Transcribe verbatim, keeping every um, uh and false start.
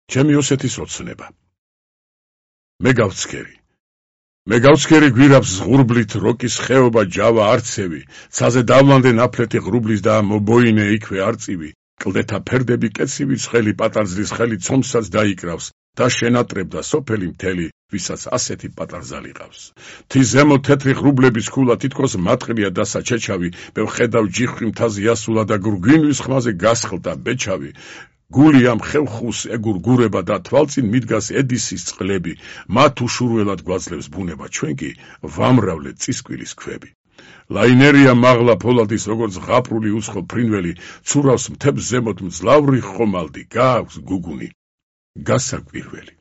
ჩემი ოსეთის ოცნება. მე გავცქერი. მე გავცქერი გვირაბს ზღურბლით როკის ხეობა ჯავა არცევი, ცაზე დავლანდე ნაფლეთი ღრუბლის და მობოინე იქვე არწივი, კლდეთა ფერდები კეცივი ცხელი პატარძლის ხელი ცომსაც დაიკრავს და შენატრებდა სოფელი მთელი, ვისაც ასეთი პატარზალი ყავს. თის ზემო თეთრი ღრუბლების ქულა თითქოს მატყლია და საჩეჩავი, მე ვხედავ ჯიხვი მთაზე ასულა და გურგვინვის ხმაზე გასხლდა ბეჩავი. გული ამ ხევხუს ეგურგურება და თვალწინ მიდგას ედისის წყლები, მათ უშურველად გვაძლევს ბუნება, ჩვენ კი ვამრავლეთ წისკვილის ქვები. ლაინერია მაღლა ფოლადის როგორც ღაპრული უცხო ფრინველი, ცურავს მთებს ზემოთ მძლავრი ხომალდი, გააქვს გუგუნი, გასაკვირველი.